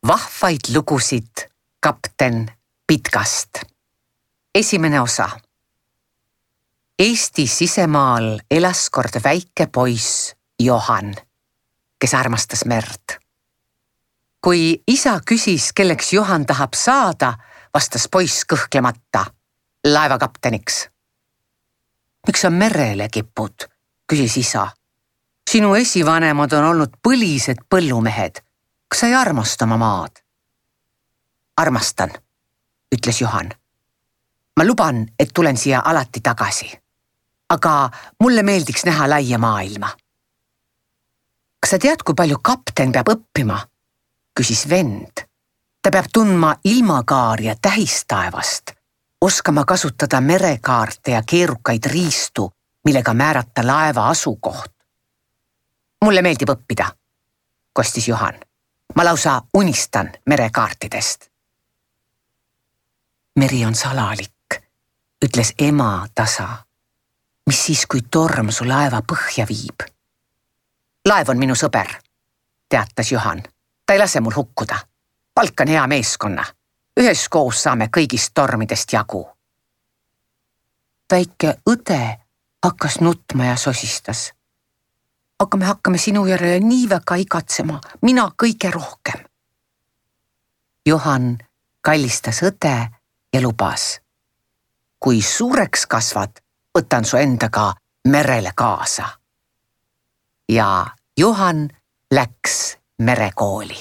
Vahvaid lugusid kapten Pitkast. Esimene osa. Eesti sisemaal elas kord väike poiss Johan, kes armastas merd. Kui isa küsis, kelleks Johan tahab saada, vastas poiss kõhklemata laevakapteniks. Miks sa merele kipud, küsis isa. Sinu esivanemad on olnud põlised põllumehed. Kas sa ei armasta oma maad? Armastan, ütles Johan. Ma luban, et tulen siia alati tagasi. Aga mulle meeldiks näha laia maailma. Kas sa tead, kui palju kapten peab õppima? Küsis vend. Ta peab tundma ilmakaari ja tähistaevast, oskama kasutada merekaarte ja keerukaid riistu, millega määrata laeva asukoht. Mulle meeldib õppida, kostis Johan. Ma lausa unistan merekaartidest. Meri on salalik, ütles ema tasa. Mis siis, kui torm su laeva põhja viib? Laev on minu sõber, teatas Johan. Ta ei lase mul hukkuda. Palkan hea meeskonna. Üheskoos saame kõigist tormidest jagu. Väike õde hakkas nutma ja sosistas. Aga me hakkame sinu järele nii väga igatsema, mina kõige rohkem. Johan kallistas õde ja lubas. Kui suureks kasvad, võtan su endaga merele kaasa. Ja Johan läks merekooli.